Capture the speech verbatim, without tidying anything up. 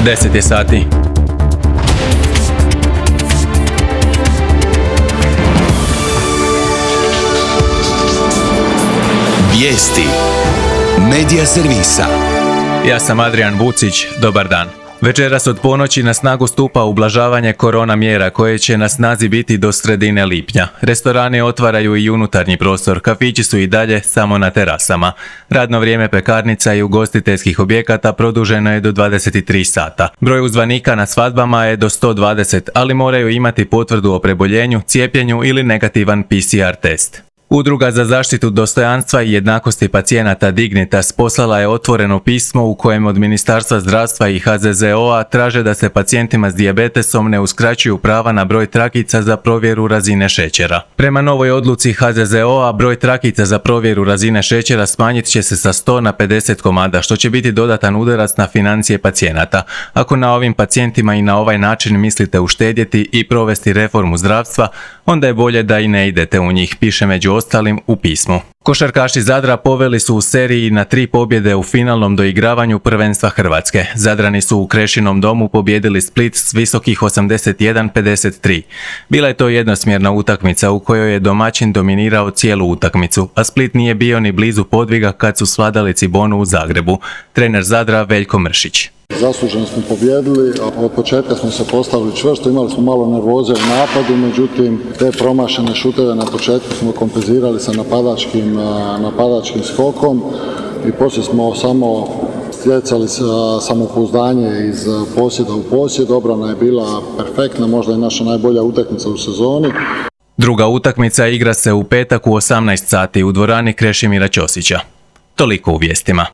deset je sati. Vijesti Medija servisa. Ja sam Adrian Vucić, dobar dan. Večeras od ponoći na snagu stupa ublažavanje korona mjera koje će na snazi biti do sredine lipnja. Restorani otvaraju i unutarnji prostor, kafići su i dalje samo na terasama. Radno vrijeme pekarnica i ugostiteljskih objekata produženo je do dvadeset tri sata. Broj uzvanika na svadbama je do sto dvadeset, ali moraju imati potvrdu o preboljenju, cijepljenju ili negativan P C R test. Udruga za zaštitu dostojanstva i jednakosti pacijenata Dignitas poslala je otvoreno pismo u kojem od Ministarstva zdravstva i H Z Z O-a traže da se pacijentima s dijabetesom ne uskraćuju prava na broj trakica za provjeru razine šećera. Prema novoj odluci H Z Z O-a broj trakica za provjeru razine šećera smanjit će se sa sto na pedeset komada, što će biti dodatan udarac na financije pacijenata. Ako na ovim pacijentima i na ovaj način mislite uštedjeti i provesti reformu zdravstva, onda je bolje da i ne idete u njih, piše među ostalim u pismu. Košarkaši Zadra poveli su u seriji na tri pobjede u finalnom doigravanju prvenstva Hrvatske. Zadrani su u Krešinom domu pobijedili Split s visokih osamdeset jedan pedeset tri. Bila je to jednosmjerna utakmica u kojoj je domaćin dominirao cijelu utakmicu, a Split nije bio ni blizu podviga kad su svladali Cibonu u Zagrebu. Trener Zadra Veljko Mršić. Zasluženo smo pobjedili, a od početka smo se postavili čvrsto, imali smo malo nervoze u napadu, međutim te promašene šuteve na početku smo kompenzirali sa napadačkim, napadačkim skokom i poslije smo samo stjecali samopouzdanje iz posjeda u posjed. Obrana je bila perfektna, možda je naša najbolja utakmica u sezoni. Druga utakmica igra se u petak u osamnaest sati u dvorani Krešimira Ćosića. Toliko u vijestima.